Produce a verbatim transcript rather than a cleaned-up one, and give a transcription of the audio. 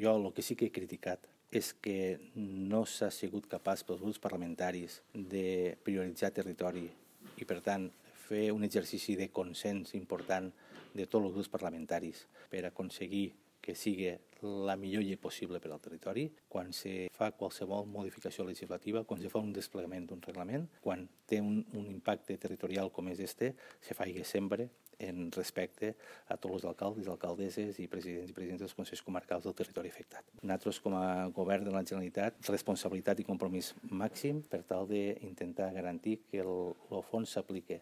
jo el que sí que he criticat és que no s'ha sigut capaç pels grups parlamentaris de prioritzar territori i, per tant, fer un exercici de consens important de tots els grups parlamentaris per aconseguir que sigui la millor llei possible per al territori, quan se fa qualsevol modificació legislativa, quan se fa un desplegament d'un reglament, quan té un, un impacte territorial com és este, se faci sempre en respecte a tots els alcaldes, alcaldesses i presidents i presidents dels consells comarcals del territori afectat. Nosaltres, com a govern de la Generalitat, responsabilitat i compromís màxim per tal d'intentar garantir que el, el fons s'apliqui